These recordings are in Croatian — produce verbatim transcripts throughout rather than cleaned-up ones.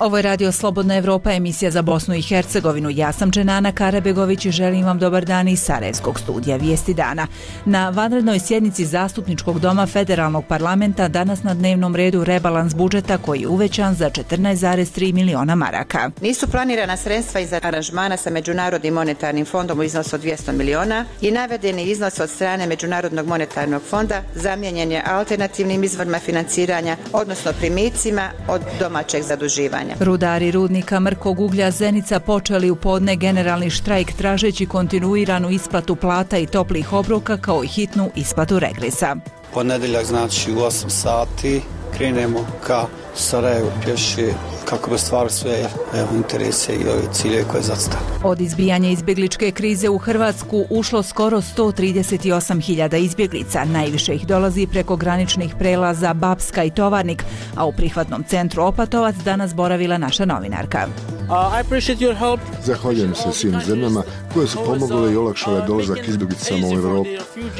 Ovo je Radio Slobodna Evropa, emisija za Bosnu i Hercegovinu. Ja sam Dženana Karabegović i želim vam dobar dan iz Sarajevskog studija Vijesti dana. Na vanrednoj sjednici Zastupničkog doma Federalnog parlamenta danas na dnevnom redu rebalans budžeta koji je uvećan za četrnaest zarez tri miliona maraka. Nisu planirana sredstva iz aranžmana sa Međunarodnim monetarnim fondom u iznosu od dvjesto miliona i navedeni iznos od strane Međunarodnog monetarnog fonda zamijenjen je alternativnim izvorima financiranja, odnosno primicima od domaćeg zaduživanja. Rudari rudnika Mrkog uglja Zenica počeli u podne generalni štrajk tražeći kontinuiranu isplatu plata i toplih obroka kao i hitnu isplatu regresa. Ponedjeljak znači u osam sati krenemo ka Sarajevu pješi kako bi stvar sve evo, interese i ove cilje koje zacitali. Od izbijanja izbjegličke krize u Hrvatsku ušlo skoro sto trideset osam hiljada izbjeglica. Najviše ih dolazi preko graničnih prelaza Bapska i Tovarnik, a u prihvatnom centru Opatovac danas boravila naša novinarka. Uh, Zahvaljujem se svim zemljama koje su pomogle i olakšale dolazak izbjeglicama u Europu.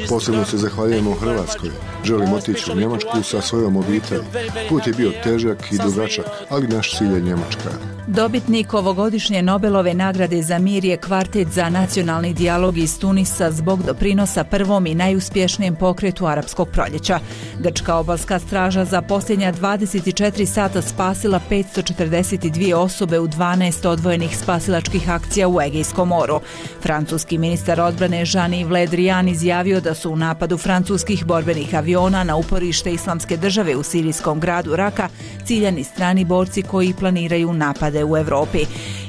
Posebno se zahvaljujemo u Hrvatskoj. Želim otići u Njemačku sa svojom obitelji. Put je bio težak i dugačak, ali naš cilj je Njemačka. Dobitnik ovogodišnje Nobelove nagrade za mir je kvartet za nacionalni dijalog iz Tunisa zbog doprinosa prvom i najuspješnijem pokretu arapskog proljeća. Grčka obalska straža za posljednja dvadeset četiri sata spasila petsto četrdeset dvije osobe u dvanaest odvojenih spasilačkih akcija u Egejskom moru. Francuski ministar odbrane Jean-Yves Le Drian izjavio da su u napadu francuskih borbenih aviona na uporište Islamske države u sirijskom gradu Raka ciljani strani borci koji planiraju napade u Evropi.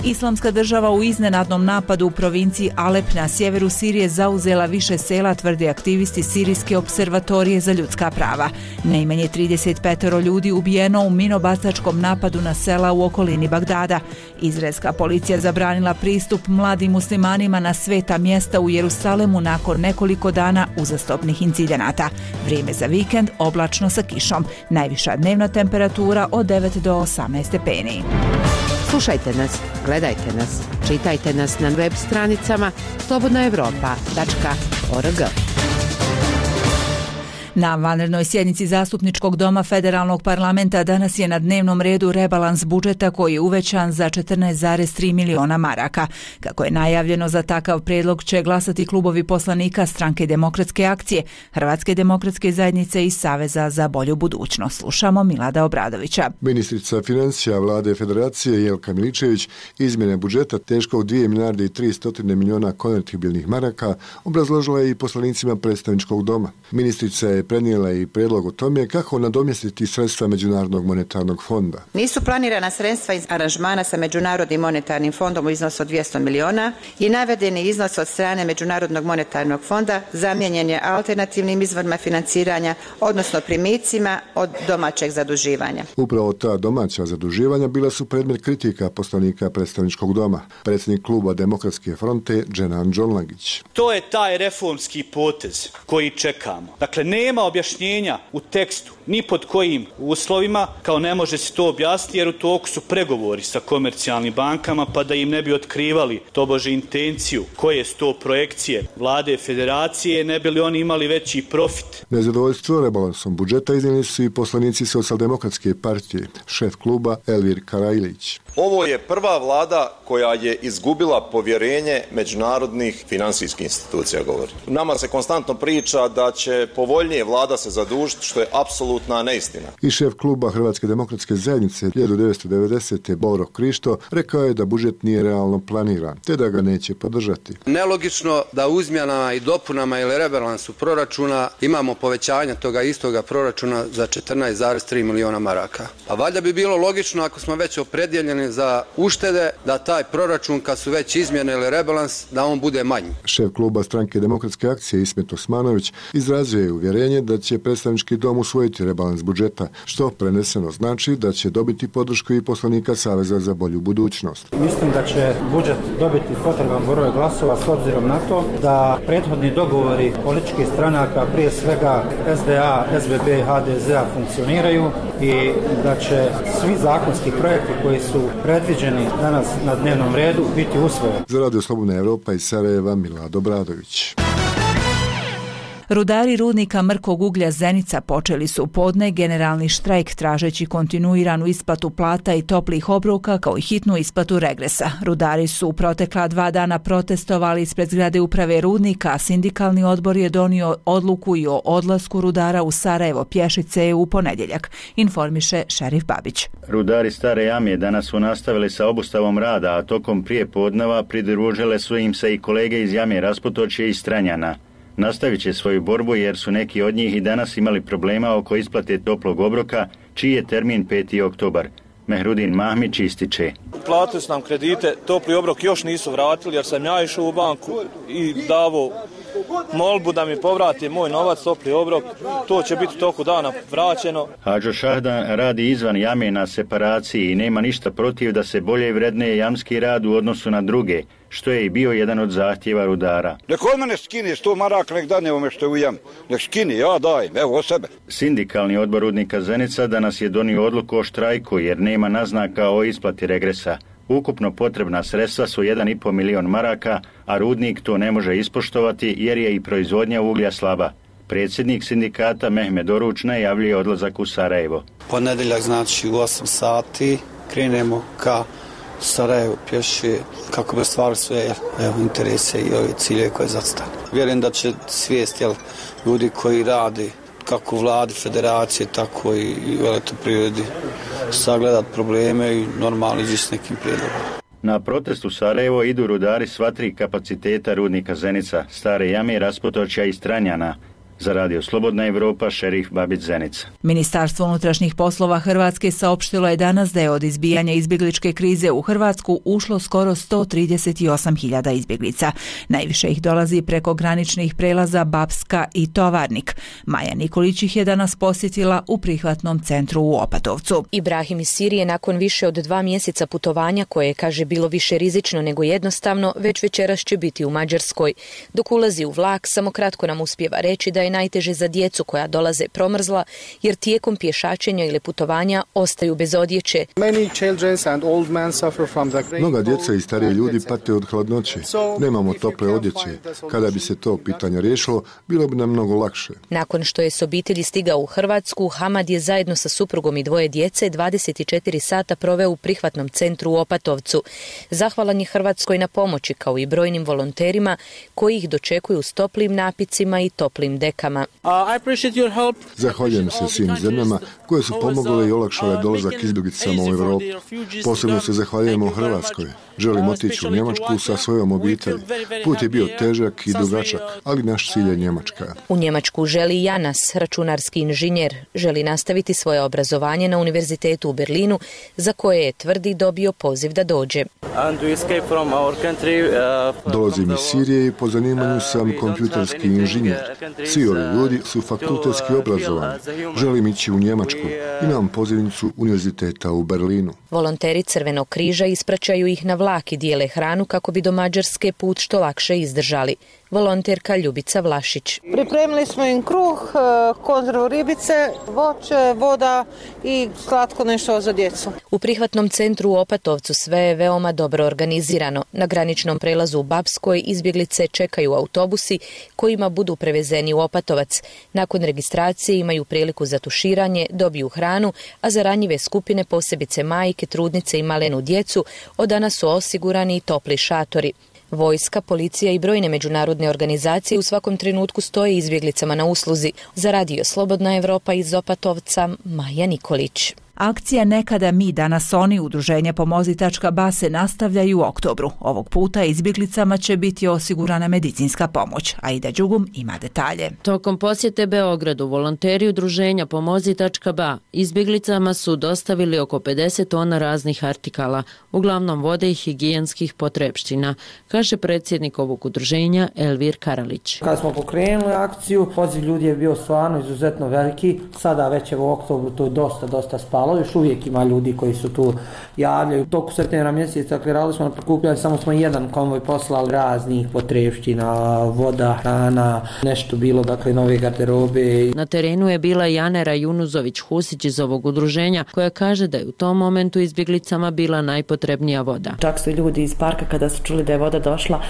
Islamska država u iznenadnom napadu u provinciji Alep na sjeveru Sirije zauzela više sela, tvrde aktivisti Sirijske observatorije za ljudska prava. Najmanje trideset pet ljudi ubijeno u minobacačkom napadu na sela u okolini Bagdada. Izraelska policija zabranila pristup mladim muslimanima na sveta mjesta u Jerusalemu nakon nekoliko dana uzastopnih incidenata. Vrijeme za vikend oblačno sa kišom. Najviša dnevna temperatura od devet do osamnaest stepeni. Slušajte nas, gledajte nas, čitajte nas na web stranicama slobodna evropa tačka org. Na vanrednoj sjednici Zastupničkog doma Federalnog parlamenta danas je na dnevnom redu rebalans budžeta koji je uvećan za četrnaest zarez tri miliona maraka. Kako je najavljeno, za takav prijedlog će glasati klubovi poslanika Stranke demokratske akcije, Hrvatske demokratske zajednice i Saveza za bolju budućnost. Slušamo Milada Obradovića. Ministrica financija vlade Federacije Jelka Miličević izmjene budžeta teškog dvije milijarde i tristo miliona konvertibilnih maraka obrazložila je i poslanicima predstavničkog doma. Ministrica je prenijela i prijedlog o tome kako nadomjestiti sredstva Međunarodnog monetarnog fonda. Nisu planirana sredstva iz aranžmana sa Međunarodnim monetarnim fondom u iznosu od dvjesto miliona i navedeni iznos od strane Međunarodnog monetarnog fonda zamijenjen je alternativnim izvorima financiranja, odnosno primicima od domaćeg zaduživanja. Upravo ta domaća zaduživanja bila su predmet kritika poslanika predstavničkog doma. Predsjednik kluba Demokratske fronte Dženan Đonlagić. To je taj reformski potez koji čekamo. Dakle, nema objašnjenja u tekstu ni pod kojim uslovima, kao ne može se to objasniti jer u toku su pregovori sa komercijalnim bankama, pa da im ne bi otkrivali tobože intenciju koje su to projekcije vlade federacije, ne bi li oni imali veći profit. Nezadovoljstvo rebalansom budžeta iznijeli su i poslanici Socijaldemokratske partije, šef kluba Elvir Karajlić. Ovo je prva vlada koja je izgubila povjerenje međunarodnih finansijskih institucija, govori. Nama se konstantno priča da će povoljnije vlada se zadužiti, što je apsolutna neistina. I šef kluba Hrvatske demokratske zajednice hiljadu devetsto devedesete Boro Krišto rekao je da budžet nije realno planiran, te da ga neće podržati. Nelogično da u izmjenama i dopunama ili rebalansu proračuna imamo povećanje toga istoga proračuna za četrnaest zarez tri miliona maraka. A valjda bi bilo logično, ako smo već opredjeljeni za uštede, da taj proračun, kad su već izmjene ili rebalans, da on bude manji. Šef kluba Stranke demokratske akcije Ismet Osmanović izrazio je uvjerenje da će predstavnički dom usvojiti rebalans budžeta, što preneseno znači da će dobiti podršku i poslanika Saveza za bolju budućnost. Mislim da će budžet dobiti potreban broj glasova s obzirom na to da prethodni dogovori političkih stranaka, prije svega S D A, S B B, H D Z A funkcioniraju i da će svi zakonski projekti koji su predviđeni danas na dnevnom redu biti usvojeni. Za Radio Slobodna Evropa iz Sarajeva, Milad Obradović. Rudari rudnika mrkog uglja Zenica počeli su podne generalni štrajk tražeći kontinuiranu isplatu plata i toplih obroka kao i hitnu isplatu regresa. Rudari su u protekla dva dana protestovali ispred zgrade uprave rudnika, a sindikalni odbor je donio odluku i o odlasku rudara u Sarajevo pješice u ponedjeljak, informiše Šerif Babić. Rudari Stare Jame danas su nastavili sa obustavom rada, a tokom prije podneva pridružile su im se i kolege iz Jame Rasputočje i Stranjana. Nastavit će svoju borbu jer su neki od njih i danas imali problema oko isplate toplog obroka, čiji je termin peti oktobar. Mehrudin Mahmić ističe. Platili su nam kredite, topli obrok još nisu vratili jer sam ja išao u banku i davo molbu da mi povrati moj novac, topli obrok. To će biti toku dana vraćeno. Hadžo Šahdan radi izvan jame na separaciji i nema ništa protiv da se bolje vredne jamski rad u odnosu na druge, što je i bio jedan od zahtjeva rudara. Nek od mene skine sto maraka, nek dane ome što je u jam. Nek skine, ja dajem, evo od sebe. Sindikalni odbor rudnika Zenica danas je donio odluku o štrajku jer nema naznaka o isplati regresa. Ukupno potrebna sredstva su jedan i pol milion maraka, a rudnik to ne može ispoštovati jer je i proizvodnja uglja slaba. Predsjednik sindikata Mehmed Oruč najavljuje odlazak u Sarajevo. Ponedjeljak znači u osam sati krenemo ka Sarajevo pješi kako bi ostvarili sve evo, interese i ove cilje koje zacitane. Vjerujem da će svijest jel, ljudi koji radi kako u vladi, federacije, tako i u elektroprivredi sagledat probleme i normalno ići s nekim prijedlogom. Na protest u Sarajevo idu rudari sva tri kapaciteta rudnika Zenica, Stare Jame, Rasputočja i Stranjana. Za Radio Slobodna Evropa, Šerif Babić, Zenica. Ministarstvo unutrašnjih poslova Hrvatske saopštilo je danas da je od izbijanja izbjegličke krize u Hrvatsku ušlo skoro sto trideset osam hiljada izbjeglica. Najviše ih dolazi preko graničnih prelaza Bapska i Tovarnik. Maja Nikolić ih je danas posjetila u prihvatnom centru u Opatovcu. Ibrahim iz Sirije nakon više od dva mjeseca putovanja, koje je, kaže, bilo više rizično nego jednostavno, već večeras će biti u Mađarskoj. Dok ulazi u vlak, samo kratko nam uspijeva reći da je najteže za djecu koja dolaze promrzla, jer tijekom pješačenja ili putovanja ostaju bez odjeće. Mnoga djeca i stariji ljudi pate od hladnoće. Nemamo tople odjeće. Kada bi se to pitanje riješilo, bilo bi nam mnogo lakše. Nakon što je s obitelji stigao u Hrvatsku, Hamad je zajedno sa suprugom i dvoje djece dvadeset četiri sata proveo u prihvatnom centru u Opatovcu. Zahvalan je Hrvatskoj na pomoći, kao i brojnim volonterima koji ih dočekuju s toplim napicima i toplim dekama. Zahvaljujem se svim zemljama koje su pomogle i olakšale dolazak izbjeglicama u Europu. Posebno se zahvaljujemo Hrvatskoj. Želim otići u Njemačku sa svojom obitelji. Put je bio težak i dugačak, ali naš cilj je Njemačka. U Njemačku želi Janas, računarski inženjer. Želi nastaviti svoje obrazovanje na univerzitetu u Berlinu, za koje je, tvrdi, dobio poziv da dođe. Dolazim iz Sirije i po zanimanju sam kompjuterski inženjer. Svi ovi ljudi su fakultetski obrazovani. Želim ići u Njemačku. Imam pozivnicu univerziteta u Berlinu. Volonteri Crvenog križa ispraćaju ih na vlak i dijele hranu kako bi do Mađarske put što lakše izdržali. Volonterka Ljubica Vlašić. Pripremili smo im kruh, konzervu ribice, voće, voda i slatko nešto za djecu. U prihvatnom centru u Opatovcu sve je veoma dobro organizirano. Na graničnom prelazu u Bapskoj izbjeglice čekaju autobusi kojima budu prevezeni u Opatovac. Nakon registracije imaju priliku za tuširanje, dobiju hranu, a za ranjive skupine, posebice majke, trudnice i malenu djecu, od danas su osigurani i topli šatori. Vojska, policija i brojne međunarodne organizacije u svakom trenutku stoje izbjeglicama na usluzi. Za Radio Slobodna Evropa iz Opatovca, Maja Nikolić. Akcija Nekada mi, danas oni udruženja Pomozi tačka ba se nastavljaju u oktobru. Ovog puta izbjeglicama će biti osigurana medicinska pomoć. Aida Đugum ima detalje. Tokom posjete Beogradu, volonteri udruženja Pomozi tačka ba izbjeglicama su dostavili oko pedeset tona raznih artikala, uglavnom vode i higijenskih potrepština, kaže predsjednik ovog udruženja Elvir Karalić. Kada smo pokrenuli akciju, poziv ljudi je bio stvarno izuzetno veliki. Sada već u oktobru to je dosta, dosta spalo. malo, još uvijek ima ljudi koji su tu javljaju. Toku septembra mjeseca kreirali smo na prikupljanje, samo smo jedan konvoj poslali raznih potrepština, voda, hrana, nešto bilo, dakle, nove garderobe. Na terenu je bila i Anera Junuzović-Husić iz ovog udruženja, koja kaže da je u tom momentu izbjeglicama bila najpotrebnija voda. Čak su ljudi iz parka, kada su čuli da je voda došla,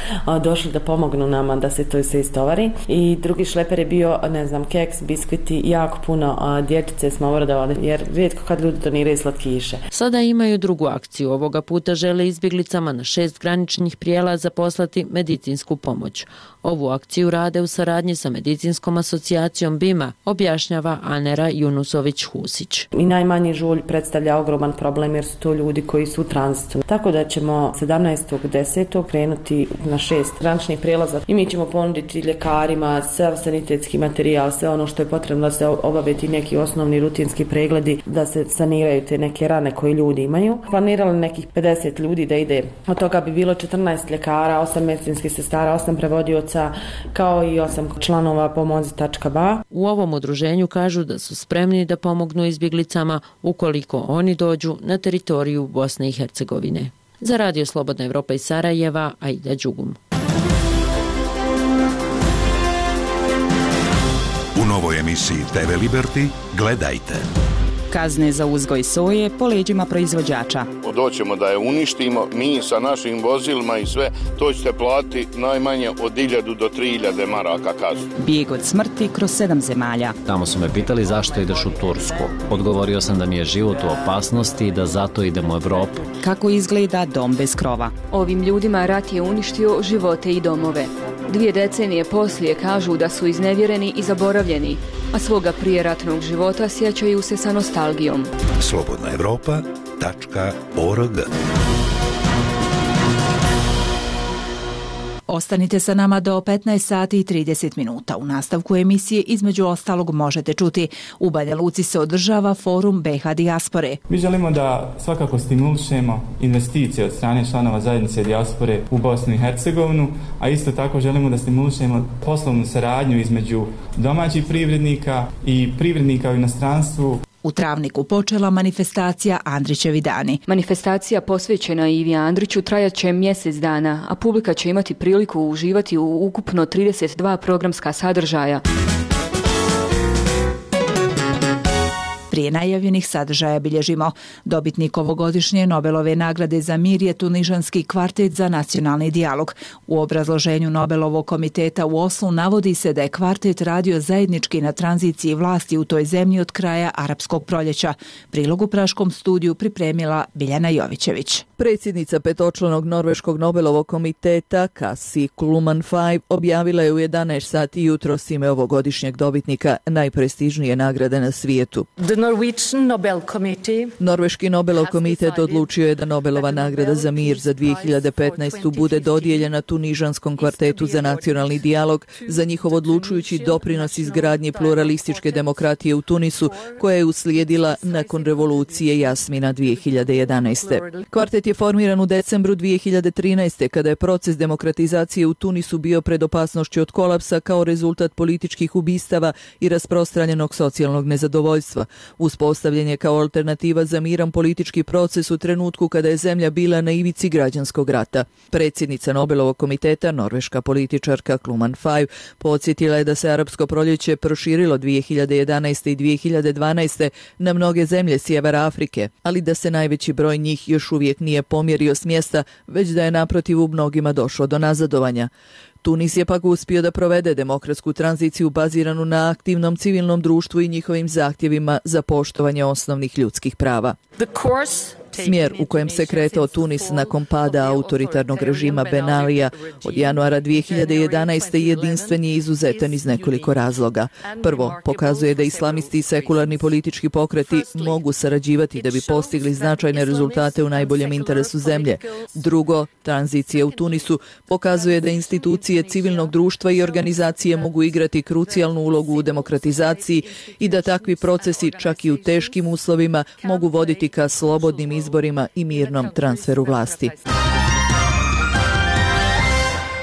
došli da pomognu nama da se to se istovari. I drugi šleper je bio, ne znam, keks, biskviti, jako puno dječice smo obradovali, jer rijetko kad ljudi doniraju slatkiše. Sada imaju drugu akciju. Ovoga puta žele izbjeglicama na šest graničnih prijelaza poslati medicinsku pomoć. Ovu akciju rade u saradnji sa medicinskom asocijacijom BIMA, objašnjava Anera Junusović-Husić. I najmanji žulj predstavlja ogroman problem jer su to ljudi koji su u tranzitu. Tako da ćemo sedamnaestog desetog krenuti na šest graničnih prijelaza i mi ćemo ponuditi ljekarima sav sanitetski materijal, sve ono što je potrebno da se obave ti neki osnovni rutinski pregledi, da se saniraju te neke rane koje ljudi imaju. Planirali nekih pedeset ljudi da ide. Od toga bi bilo četrnaest ljekara, osam medicinskih sestara, osam prevodioca, kao i osam članova pomozi tačka ba. U ovom udruženju kažu da su spremni da pomognu izbjeglicama ukoliko oni dođu na teritoriju Bosne i Hercegovine. Za Radio Slobodna Evropa iz Sarajeva, Aida Đugum. U novoj emisiji te ve Liberty gledajte. Kazne za uzgoj soje po leđima proizvođača. Doćemo da je uništimo, mi sa našim vozilima i sve, to ćete platiti najmanje od hiljadu do tri hiljade maraka kaznu. Bijeg od smrti kroz sedam zemalja. Tamo su me pitali zašto ideš u Tursku. Odgovorio sam da mi je život u opasnosti i da zato idem u Evropu. Kako izgleda dom bez krova? Ovim ljudima rat je uništio živote i domove. Dvije decenije poslije kažu da su iznevjereni i zaboravljeni, a svoga prijeratnog života sjećaju se sa nostalgijom. slobodna evropa tačka org. Ostanite sa nama do petnaest sati i trideset minuta. U nastavku emisije između ostalog možete čuti: u Banja Luci se održava forum be ha dijaspore. Mi želimo da svakako stimulišemo investicije od strane članova zajednice dijaspore u Bosnu i Hercegovinu, a isto tako želimo da stimulišemo poslovnu saradnju između domaćih privrednika i privrednika u inostranstvu. U Travniku počela manifestacija Andrićevi dani. Manifestacija posvećena Ivi Andriću trajat će mjesec dana, a publika će imati priliku uživati u ukupno trideset dva programska sadržaja. Prije najavljenih sadržaja bilježimo: dobitnik ovogodišnje Nobelove nagrade za mir je tunižanski kvartet za nacionalni dijalog. U obrazloženju Nobelovog komiteta u Oslu navodi se da je kvartet radio zajednički na tranziciji vlasti u toj zemlji od kraja arapskog proljeća. Prilog u praškom studiju pripremila Biljana Jovićević. Predsjednica petočlanog norveškog Nobelovog komiteta Kassi Kluman Five objavila je u jedanaest sati jutros ime ovogodišnjeg dobitnika najprestižnije nagrade na svijetu. Norveški Nobelov komitet odlučio je da Nobelova nagrada za mir za dvije hiljade petnaestu. bude dodijeljena tunižanskom kvartetu za nacionalni dijalog za njihov odlučujući doprinos izgradnji pluralističke demokratije u Tunisu, koja je uslijedila nakon revolucije Jasmina dvije hiljade jedanaeste. Kvartet je formiran u decembru dvije hiljade trinaeste. kada je proces demokratizacije u Tunisu bio pred opasnošću od kolapsa kao rezultat političkih ubistava i rasprostranjenog socijalnog nezadovoljstva. Uspostavljen je kao alternativa za miran politički proces u trenutku kada je zemlja bila na ivici građanskog rata. Predsjednica Nobelovog komiteta, norveška političarka Kluman Five, podsjetila je da se arapsko proljeće proširilo dvije hiljade jedanaeste. i dvije hiljade dvanaeste. na mnoge zemlje sjevera Afrike, ali da se najveći broj njih još uvijek nije pomjerio s mjesta, već da je naprotiv u mnogima došlo do nazadovanja. Tunis je pak uspio da provede demokratsku tranziciju baziranu na aktivnom civilnom društvu i njihovim zahtjevima za poštovanje osnovnih ljudskih prava. Smjer u kojem se kretao Tunis nakon pada autoritarnog režima Ben Alija od januara dvije hiljade jedanaeste. jedinstven je izuzetan iz nekoliko razloga. Prvo, pokazuje da islamisti i sekularni politički pokreti mogu sarađivati da bi postigli značajne rezultate u najboljem interesu zemlje. Drugo, tranzicija u Tunisu pokazuje da institucije civilnog društva i organizacije mogu igrati krucijalnu ulogu u demokratizaciji i da takvi procesi, čak i u teškim uslovima, mogu voditi ka slobodnim izborima i mirnom transferu vlasti.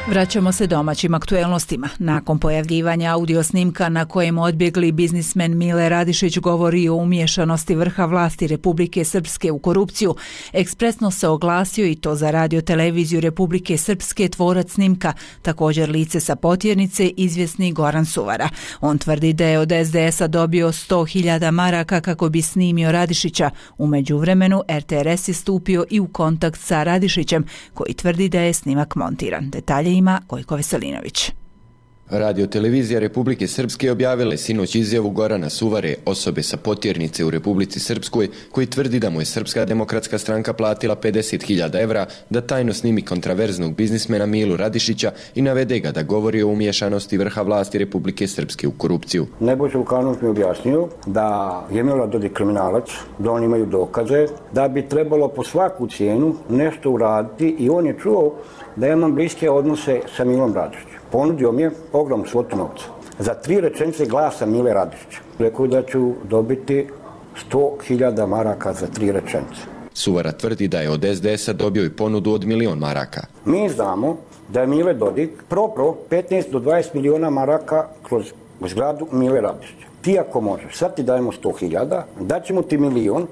Vraćamo se domaćim aktuelnostima. Nakon pojavljivanja audio snimka na kojem odbjegli biznismen Mile Radišić govori o umiješanosti vrha vlasti Republike Srpske u korupciju, ekspresno se oglasio i to za radio-televiziju Republike Srpske tvorac snimka, također lice sa Potjernice, izvjesni Goran Suvara. On tvrdi da je od es de esa dobio sto hiljada maraka kako bi snimio Radišića. U međuvremenu er te er es je stupio i u kontakt sa Radišićem, koji tvrdi da je snimak montiran. Detalje ima Gojko Veselinović. Radio-televizija Republike Srpske objavila je sinoć izjavu Gorana Suvare, osobe sa Potjernice u Republici Srpskoj, koji tvrdi da mu je Srpska demokratska stranka platila pedeset hiljada evra da tajno snimi kontraverznog biznismena Milu Radišića i navede ga da govori o umiješanosti vrha vlasti Republike Srpske u korupciju. Nebojša Vukanović mi objasnio da je Milorad Dodik kriminalac, da oni imaju dokaze, da bi trebalo po svaku cijenu nešto uraditi i on je čuo da ja imam bliske odnose sa Milom Radišićem. Ponudio mi je ogromnu svotu novca za tri rečenice glasa Mile Radišića. Rekao da ću dobiti sto hiljada maraka za tri rečenice. Suvara tvrdi da je od es de esa dobio i ponudu od milion maraka. Mi znamo da je Mile Dodik propro petnaest do dvadeset miliona maraka kroz zgradu Mile Radišića. Ti ako možeš, sad ti dajemo sto hiljada, daćemo ti milion,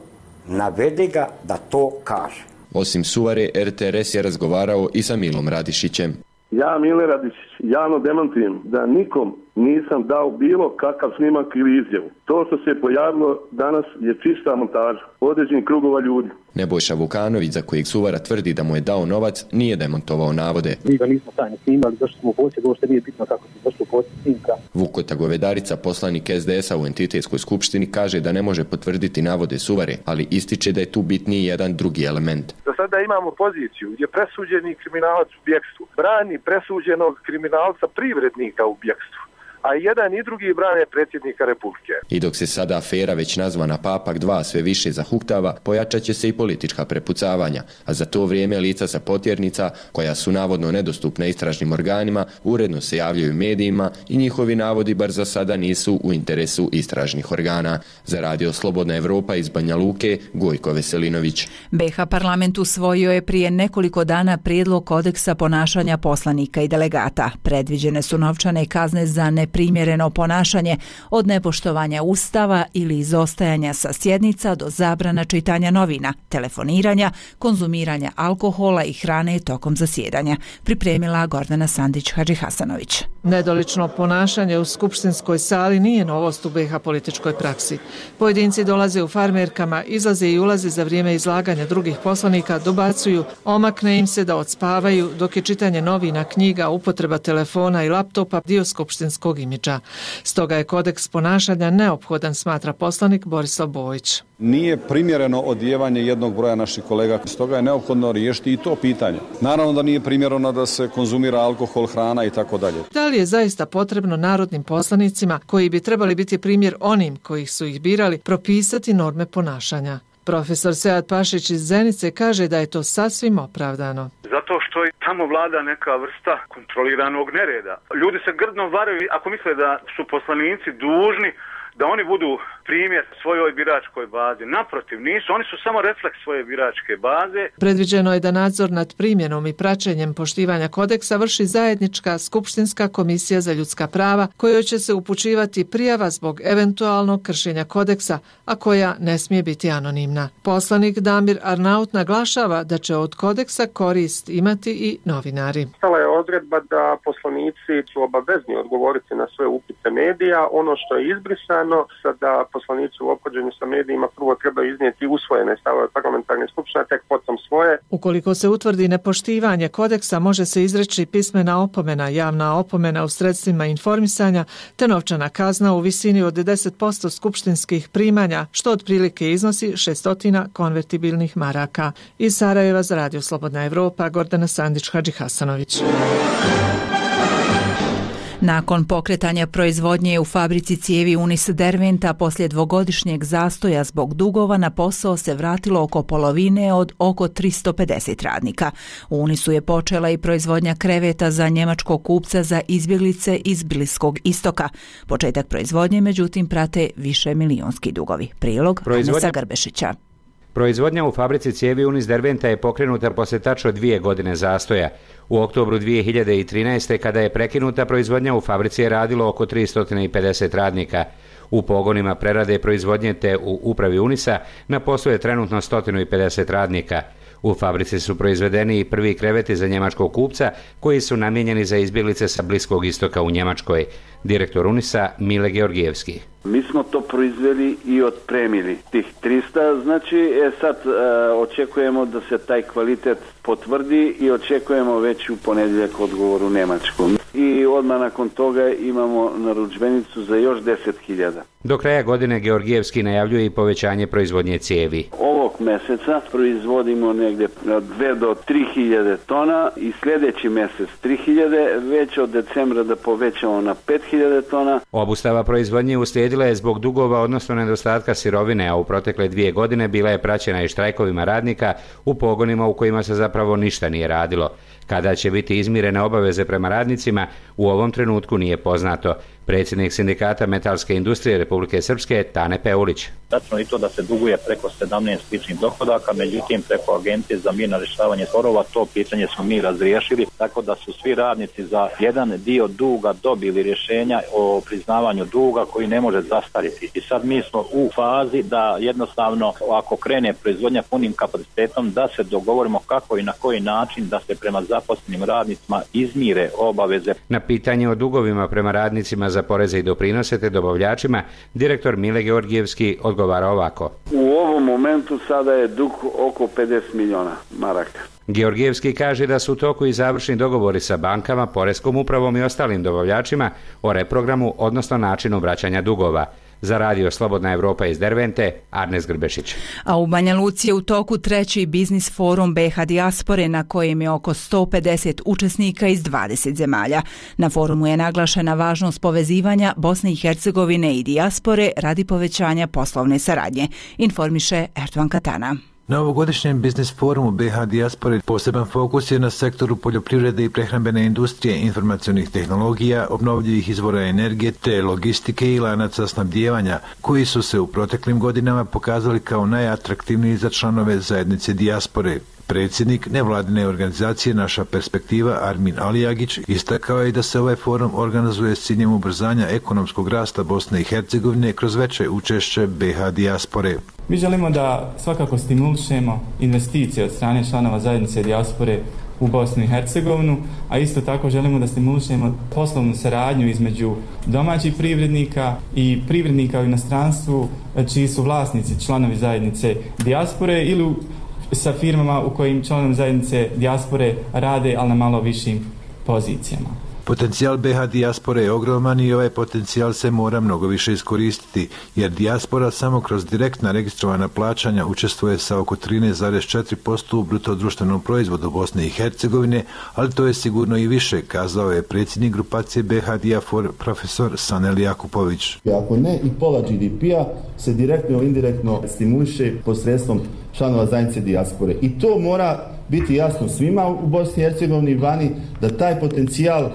navede ga da to kaže. Osim Suvare, er te er es je razgovarao i sa Milom Radišićem. Ja, Mile Radišić, javno demantujem da nikom nisam dao bilo kakav snimak ili izjavu. To što se pojavilo danas je čista montaža određenih krugova ljudi. Nebojša Vukanović, za kojeg Suvara tvrdi da mu je dao novac, nije demantovao navode. Mi ga nismo tajno snimali, zašto smo u posjedu, ovo što nije bitno kako se došlo u posjed snimka. Vukota Govedarica, poslanik es de esa u entitetskoj skupštini, kaže da ne može potvrditi navode Suvare, ali ističe da je tu bitniji jedan drugi element. Do sada imamo poziciju gdje presuđeni kriminalac u bjekstvu brani presuđenog kriminalca privrednika u bjekstvu, a jedan i drugi brane predsjednika Republike. I dok se sada afera već nazvana Papak dva sve više zahuktava, pojačat će se i politička prepucavanja, a za to vrijeme lica sa Potjernica, koja su navodno nedostupna istražnim organima, uredno se javljaju medijima i njihovi navodi bar za sada nisu u interesu istražnih organa. Za Radio Slobodna Evropa iz Banja Luke, Gojko Veselinović. be ha parlament usvojio je prije nekoliko dana prijedlog kodeksa ponašanja poslanika i delegata. Predviđene su novčane kazne za ne primjereno ponašanje, od nepoštovanja ustava ili izostajanja sa sjednica do zabrana čitanja novina, telefoniranja, konzumiranja alkohola i hrane tokom zasjedanja. Pripremila Gordana Sandić-Hadžihasanović. Nedolično ponašanje u skupštinskoj sali nije novost u be ha političkoj praksi. Pojedinci dolaze u farmerkama, izlaze i ulaze za vrijeme izlaganja drugih poslanika, dobacuju, omakne im se da odspavaju, dok je čitanje novina, knjiga, upotreba telefona i laptopa dio skupštinskog imidža. Stoga je kodeks ponašanja neophodan, smatra poslanik Borislav Bojić. Nije primjereno odjevanje jednog broja naših kolega, stoga je neophodno riješiti i to pitanje. Naravno da nije primjereno da se konzumira alkohol, hrana i tako dalje. Da li je zaista potrebno narodnim poslanicima, koji bi trebali biti primjer onim kojih su ih birali, propisati norme ponašanja? Profesor Sead Pašić iz Zenice kaže da je to sasvim opravdano. Zato što i tamo vlada neka vrsta kontroliranog nereda. Ljudi se grdno varaju ako misle da su poslanici dužni da oni budu primjer svojoj biračkoj bazi. Naprotiv, nisu. Oni su samo refleks svoje biračke baze. Predviđeno je da nadzor nad primjenom i praćenjem poštivanja kodeksa vrši zajednička skupštinska komisija za ljudska prava, kojoj će se upućivati prijava zbog eventualnog kršenja kodeksa, a koja ne smije biti anonimna. Poslanik Damir Arnaut naglašava da će od kodeksa korist imati i novinari. Stala je odredba da poslanici su obavezni odgovoriti na sve upite medija. Ono što je izbrisano, sada poslanici u ophođenju sa medijima prvo treba iznijeti usvojene stavove parlamentarne skupštine, tek potom svoje. Ukoliko se utvrdi nepoštivanje kodeksa, može se izreći pismena opomena, javna opomena u sredstvima informisanja, te novčana kazna u visini od deset posto skupštinskih primanja, što otprilike iznosi šesto konvertibilnih maraka. Iz Sarajeva za Radio Slobodna Evropa, Gordana Sandić-Hadžihasanović. Nakon pokretanja proizvodnje u fabrici cijevi Unis Derventa poslije dvogodišnjeg zastoja zbog dugova na posao se vratilo oko polovine od oko tristo pedeset radnika. U Unisu je počela i proizvodnja kreveta za njemačkog kupca za izbjeglice iz Bliskog istoka. Početak proizvodnje, međutim, prate više milionski dugovi. Prilog Proizvodnja... Anisa Grbešića. Proizvodnja u fabrici cijevi Unis Derventa je pokrenuta posle tačno dvije godine zastoja. U oktobru dvije hiljade trinaeste. kada je prekinuta proizvodnja u fabrici je radilo oko tristo pedeset radnika. U pogonima prerade proizvodnje te u upravi Unisa na poslu je trenutno sto pedeset radnika. U fabrici su proizvedeni i prvi kreveti za njemačkog kupca koji su namijenjeni za izbjeglice sa Bliskog istoka u Njemačkoj. Direktor Unisa Mile Georgijevski. Mi smo to proizveli i otpremili. Tih trista, znači e, sad e, očekujemo da se taj kvalitet potvrdi i očekujemo već u ponedjeljak odgovor u Njemačkom. I odmah nakon toga imamo narudžbenicu za još deset hiljada. Do kraja godine Georgijevski najavljuje i povećanje proizvodnje cijevi. Ovog mjeseca proizvodimo negdje dve do tri hiljade tona i sljedeći mjesec tri hiljade, već od decembra da povećamo na pet hiljada tona. Obustava proizvodnje uslijedila je zbog dugova, odnosno nedostatka sirovine, a u protekle dvije godine bila je praćena i štrajkovima radnika u pogonima u kojima se zapravo ništa nije radilo. Kada će biti izmirene obaveze prema radnicima, u ovom trenutku nije poznato. Predsjednik sindikata metalske industrije Republike Srpske Tane Peulić. Tačno i to da se duguje preko sedamnaest ličnih dohodaka, međutim preko Agencije za mirno rješavanje sporova to pitanje smo mi razriješili, tako da su svi radnici za jedan dio duga dobili rješenja o priznavanju duga koji ne može zastariti. I sad mi smo u fazi da jednostavno ako krene proizvodnja punim kapacitetom da se dogovorimo kako i na koji način da se prema zaposlenim radnicima izmire obaveze. Na pitanje o dugovima prema radnicima za poreze i doprinose te dobavljačima, direktor Mile Georgijevski odgovara ovako. U ovom momentu sada je dug oko pedeset milijuna maraka. Georgijevski kaže da su u toku i završni dogovori sa bankama, poreskom upravom i ostalim dobavljačima o reprogramu, odnosno načinu vraćanja dugova. Za radio Slobodna Evropa iz Dervente, Arnes Grbešić. A u Banja Luci je u toku treći biznis forum B H dijaspore na kojem je oko sto pedeset učesnika iz dvadeset zemalja. Na forumu je naglašena važnost povezivanja Bosne i Hercegovine i dijaspore radi povećanja poslovne saradnje, informiše Erdovan Katana. Na ovogodišnjem biznis forumu B H dijaspore poseban fokus je na sektoru poljoprivrede i prehrambene industrije, informacionih tehnologija, obnovljivih izvora energije te logistike i lanaca snabdijevanja, koji su se u proteklim godinama pokazali kao najatraktivniji za članove zajednice dijaspore. Predsjednik nevladine organizacije Naša perspektiva Armin Alijagić istakao je da se ovaj forum organizuje s ciljem ubrzanja ekonomskog rasta Bosne i Hercegovine kroz veće učešće B H dijaspore. Mi želimo da svakako stimulišemo investicije od strane članova zajednice dijaspore u Bosnu i Hercegovinu, a isto tako želimo da stimulišemo poslovnu saradnju između domaćih privrednika i privrednika u inostranstvu čiji su vlasnici članovi zajednice dijaspore ili sa firmama u kojim članovi zajednice dijaspore rade, ali na malo višim pozicijama. Potencijal B H dijaspore je ogroman i ovaj potencijal se mora mnogo više iskoristiti, jer dijaspora samo kroz direktna registrovana plaćanja učestvuje sa oko trinaest zarez četiri posto u bruto društvenom proizvodu Bosne i Hercegovine, ali to je sigurno i više, kazao je predsjednik grupacije B H Dijafor profesor Sanel Jakupović. Ako ne i pola G D P-a se direktno ili indirektno stimuliše posredstvom članova zajednice dijaspore. I to mora biti jasno svima u Bosni i Hercegovini i vani da taj potencijal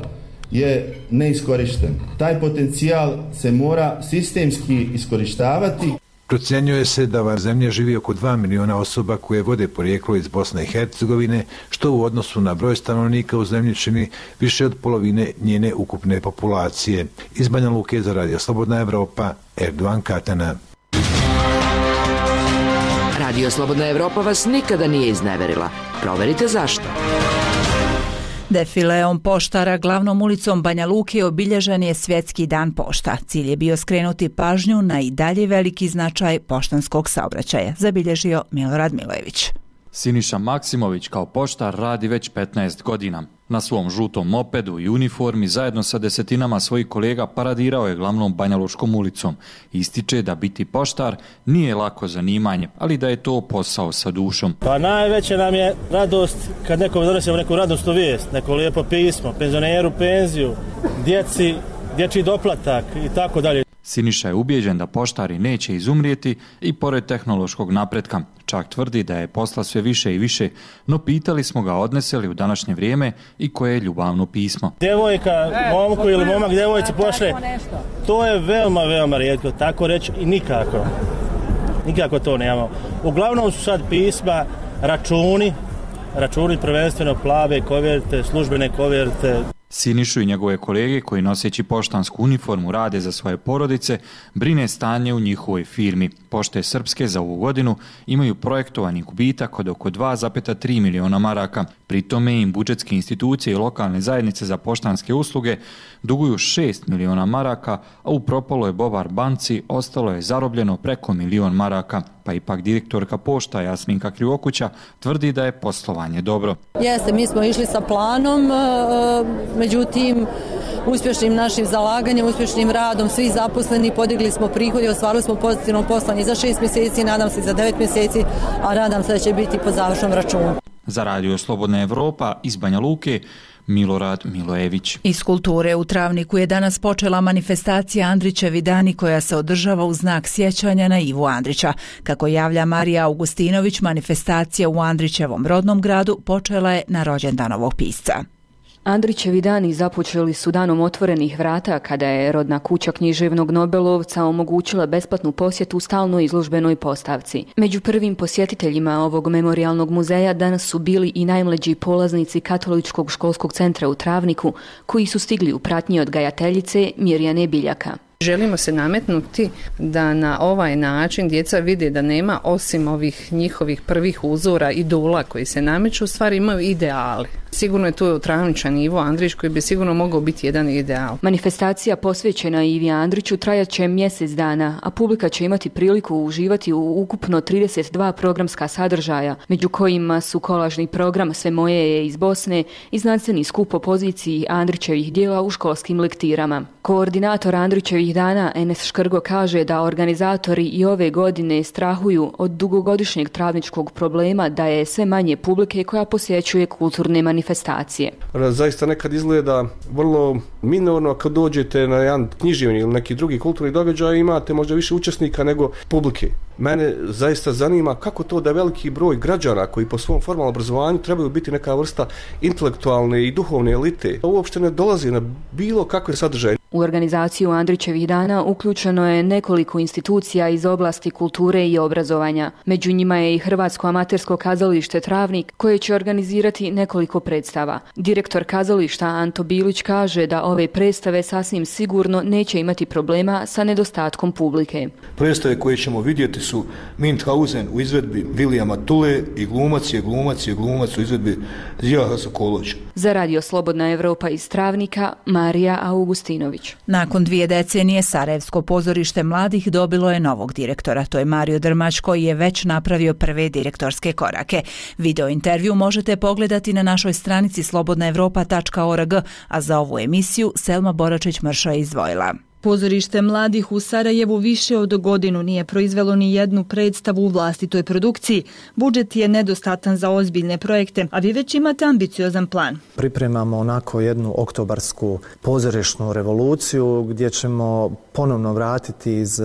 je neiskorišten. Taj potencijal se mora sistemski iskorištavati. Procjenjuje se da u zemlji živi oko dva miliona osoba koje vode porijeklo iz Bosne i Hercegovine, što u odnosu na broj stanovnika u zemlji čini više od polovine njene ukupne populacije. Iz Banja Luke za radio Slobodna Evropa, Erdovan Katana. Radio Slobodna Evropa vas nikada nije izneverila. Proverite zašto. Defileom poštara glavnom ulicom Banja Luke obilježen je Svjetski dan pošta. Cilj je bio skrenuti pažnju na i dalje veliki značaj poštanskog saobraćaja, zabilježio Milorad Milojević. Siniša Maksimović kao poštar radi već petnaest godina. Na svom žutom mopedu i uniformi zajedno sa desetinama svojih kolega paradirao je glavnom Banjalučkom ulicom. Ističe da biti poštar nije lako zanimanje, ali da je to posao sa dušom. Pa najveća nam je radost kad nekom donesemo neku radosnu vijest, neko lijepo pismo, penzioneru penziju, djeci, dječji doplatak i tako dalje. Siniša je ubijeđen da poštari neće izumrijeti i pored tehnološkog napretka. Čak tvrdi da je posla sve više i više, no pitali smo ga odnese li u današnje vrijeme i koje je ljubavno pismo. Djevojka, momku ili momak djevojci pošle, to je veoma, veoma rijetko, tako reći i nikako. nikako to nemamo. Uglavnom su sad pisma, računi, računi prvenstveno plave koverte, službene koverte. Sinišu i njegove kolege koji noseći poštansku uniformu rade za svoje porodice, brine stanje u njihovoj firmi. Pošte Srpske za ovu godinu imaju projektovani gubitak od oko dva zarez tri miliona maraka. Pri tome im budžetske institucije i lokalne zajednice za poštanske usluge duguju šest miliona maraka, a u propaloj Bovar banci ostalo je zarobljeno preko milion maraka. Pa ipak direktorka pošta Jasminka Krivokuća tvrdi da je poslovanje dobro. Jeste, mi smo išli sa planom, međutim uspješnim našim zalaganjem, uspješnim radom svih zaposleni podigli smo prihode i ostvarili smo pozitivno poslovanje za šest mjeseci, nadam se za devet mjeseci, a nadam se da će biti po završnom računu. Za Radio Slobodna Evropa iz Banja Luke, Milorad Milojević. Iz kulture u Travniku je danas počela manifestacija Andrićevi dani koja se održava u znak sjećanja na Ivu Andrića. Kako javlja Marija Augustinović, manifestacija u Andrićevom rodnom gradu počela je na rođendan ovog pisca. Andrićevi dani započeli su danom otvorenih vrata kada je rodna kuća književnog Nobelovca omogućila besplatnu posjetu stalnoj izložbenoj postavci. Među prvim posjetiteljima ovog memorijalnog muzeja danas su bili i najmlađi polaznici Katoličkog školskog centra u Travniku, koji su stigli u pratnji odgajateljice Mirjane Biljaka. Želimo se nametnuti da na ovaj način djeca vide da nema, osim ovih njihovih prvih uzora, idola koji se nameću, u stvari imaju ideali. Sigurno je tu Travničan Ivo Andrić koji bi sigurno mogao biti jedan ideal. Manifestacija posvećena Ivi Andriću trajat će mjesec dana, a publika će imati priliku uživati u ukupno trideset dva programska sadržaja, među kojima su kolažni program Sve moje je iz Bosne i znanstveni skup o poziciji Andrićevih dijela u školskim lektirama. Koordinator Andrićevih dana Enes Škrgo kaže da organizatori i ove godine strahuju od dugogodišnjeg travničkog problema da je sve manje publike koja posjećuje kulturne manifestacije. Zaista nekad izgleda vrlo minorno kad dođete na jedan književni ili neki drugi kulturni događaj, imate možda više učesnika nego publike. Mene zaista zanima kako to da veliki broj građana koji po svom formalnom obrazovanju trebaju biti neka vrsta intelektualne i duhovne elite, uopšte ne dolazi na bilo kakve sadržaje. U organizaciju Andrićevih dana uključeno je nekoliko institucija iz oblasti kulture i obrazovanja. Među njima je i Hrvatsko amatersko kazalište Travnik, koje će organizirati nekoliko predstava. Direktor kazališta Anto Bilić kaže da ove predstave sasvim sigurno neće imati problema sa nedostatkom publike. Predstave koje ćemo vidjeti su Münchhausen u izvedbi Vilijama Tule i Glumac je glumac je glumac u izvedbi Zijaha Sokolovića. Za Radio Slobodna Evropa iz Travnika, Marija Augustinović. Nakon dvije decenije Sarajevsko pozorište mladih dobilo je novog direktora. To je Mario Drmać koji je već napravio prve direktorske korake. Video intervju možete pogledati na našoj stranici slobodna evropa tačka org, a za ovu emisiju Selma Boračić-Mršo je izdvojila. Pozorište mladih u Sarajevu više od godinu nije proizvelo ni jednu predstavu u vlastitoj produkciji. Budžet je nedostatan za ozbiljne projekte, a vi već imate ambiciozan plan. Pripremamo onako jednu oktobarsku pozorišnu revoluciju gdje ćemo ponovno vratiti iz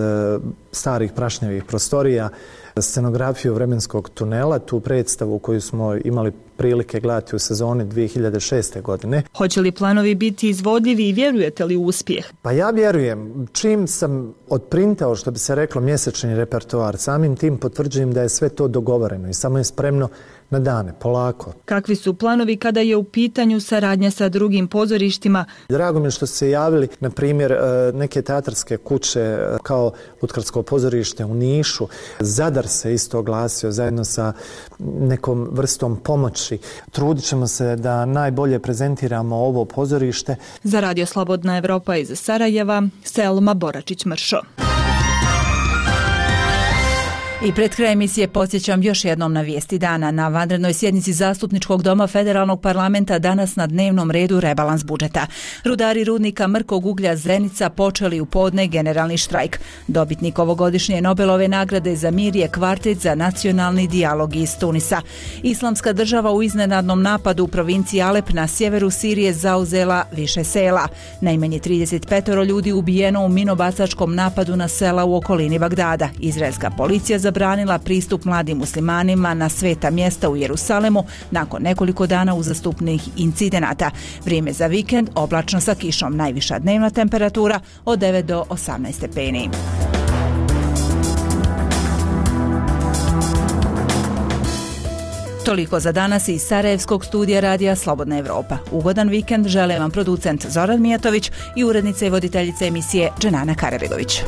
starih prašnjavih prostorija scenografiju vremenskog tunela, tu predstavu koju smo imali prilike gledati u sezoni dvije hiljade šeste. godine. Hoće li planovi biti izvodljivi i vjerujete li u uspjeh? Pa ja vjerujem. Čim sam odprintao, što bi se reklo, mjesečni repertoar, samim tim potvrđujem da je sve to dogovoreno i samo je spremno na dane, polako. Kakvi su planovi kada je u pitanju saradnja sa drugim pozorištima? Drago mi je što su se javili, na primjer, neke teatarske kuće kao Lutkarsko pozorište u Nišu. Zadar se isto oglasio zajedno sa nekom vrstom pomoći. Trudit ćemo se da najbolje prezentiramo ovo pozorište. Za Radio Slobodna Evropa iz Sarajeva, Selma Boračić-Mršo. I pred kraj emisije podsjećam još jednom na vijesti dana. Na vanrednoj sjednici Zastupničkog doma Federalnog parlamenta danas na dnevnom redu rebalans budžeta. Rudari rudnika Mrkog uglja Zenica počeli u podne generalni štrajk. Dobitnik ovogodišnje Nobelove nagrade za mir je kvartet za nacionalni dijalog iz Tunisa. Islamska država u iznenadnom napadu u provinciji Alep na sjeveru Sirije zauzela više sela. Najmanje trideset pet ljudi ubijeno u minobacačkom napadu na sela u okolini Bagdada. Izraelska policija za zabranila pristup mladim muslimanima na sveta mjesta u Jerusalemu nakon nekoliko dana uzastopnih incidenata. Vrijeme za vikend oblačno sa kišom, najviša dnevna temperatura od devet do osamnaest stepeni. Toliko za danas iz Sarajevskog studija radija Slobodna Evropa. Ugodan vikend žele vam producent Zoran Mijatović i urednica i voditeljica emisije Dženana Karabegović.